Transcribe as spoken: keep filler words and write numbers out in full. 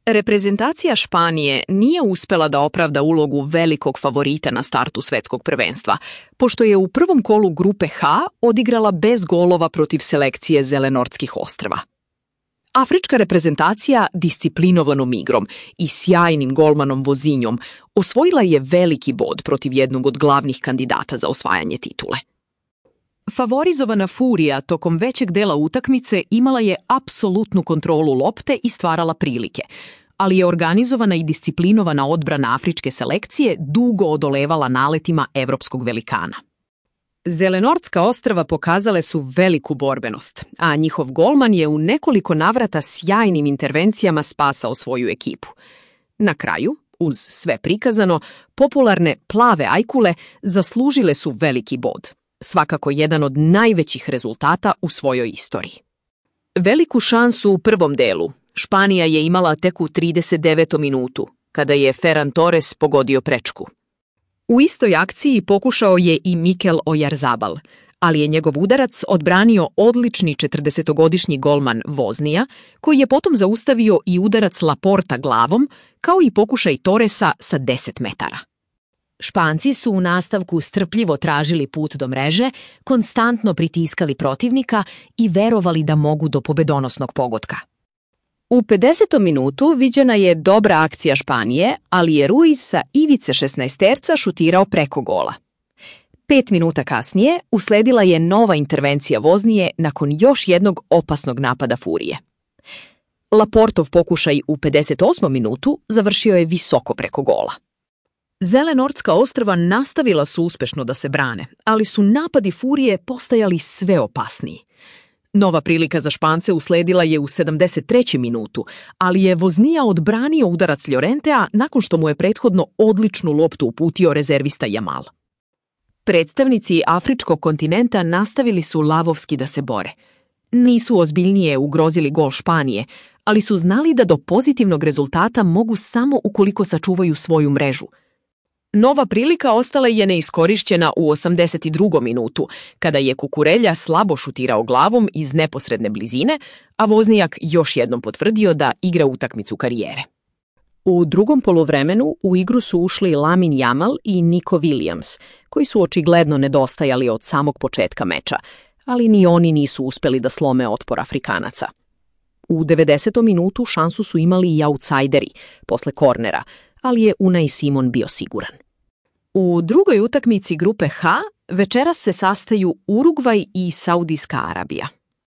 Reprezentacija Španije nije uspela da opravda ulogu velikog favorita na startu svetskog prvenstva, pošto je u prvom kolu grupe H odigrala bez golova protiv selekcije Zelenortskih ostrva. Afrička reprezentacija disciplinovanom igrom i sjajnim golmanom Vozinjom osvojila je veliki bod protiv jednog od glavnih kandidata za osvajanje titule. Favorizovana Furija tokom većeg dela utakmice imala je apsolutnu kontrolu lopte i stvarala prilike, ali je organizovana i disciplinovana odbrana afričke selekcije dugo odolevala naletima evropskog velikana. Zelenortska ostrva pokazale su veliku borbenost, a njihov golman je u nekoliko navrata sjajnim intervencijama spasao svoju ekipu. Na kraju, uz sve prikazano, popularne plave ajkule zaslužile su veliki bod, svakako jedan od najvećih rezultata u svojoj istoriji. Veliku šansu u prvom delu Španija je imala tek u trideset devetom minutu, kada je Ferran Torres pogodio prečku. U istoj akciji pokušao je i Mikel Oyarzabal, ali je njegov udarac odbranio odlični četrdesetogodišnji golman Voznija, koji je potom zaustavio i udarac Laporta glavom, kao i pokušaj Torresa sa deset metara. Španci su u nastavku strpljivo tražili put do mreže, konstantno pritiskali protivnika i verovali da mogu do pobedonosnog pogotka. U pedesetom minutu viđena je dobra akcija Španije, ali je Ruiz sa ivice šesnaesterca šutirao preko gola. Pet minuta kasnije usledila je nova intervencija Voznije nakon još jednog opasnog napada Furije. Laportov pokušaj u pedeset osmom minutu završio je visoko preko gola. Zelenortska ostrva nastavila su uspešno da se brane, ali su napadi Furije postajali sve opasniji. Nova prilika za Špance usledila je u sedamdeset trećem minutu, ali je Voznija odbranio udarac Llorentea nakon što mu je prethodno odličnu loptu uputio rezervista Yamal. Predstavnici afričkog kontinenta nastavili su lavovski da se bore. Nisu ozbiljnije ugrozili gol Španije, ali su znali da do pozitivnog rezultata mogu samo ukoliko sačuvaju svoju mrežu. Nova prilika ostala je neiskorišćena u osamdeset drugom minutu, kada je Kukurelja slabo šutirao glavom iz neposredne blizine, a Voznijak još jednom potvrdio da igra utakmicu karijere. U drugom poluvremenu u igru su ušli Lamine Yamal i Nico Williams, koji su očigledno nedostajali od samog početka meča, ali ni oni nisu uspeli da slome otpor Afrikanaca. U devedesetom minutu šansu su imali i autsajderi, posle kornera, ali je Unai Simon bio siguran. U drugoj utakmici grupe H večeras se sastaju Urugvaj i Saudijska Arabija.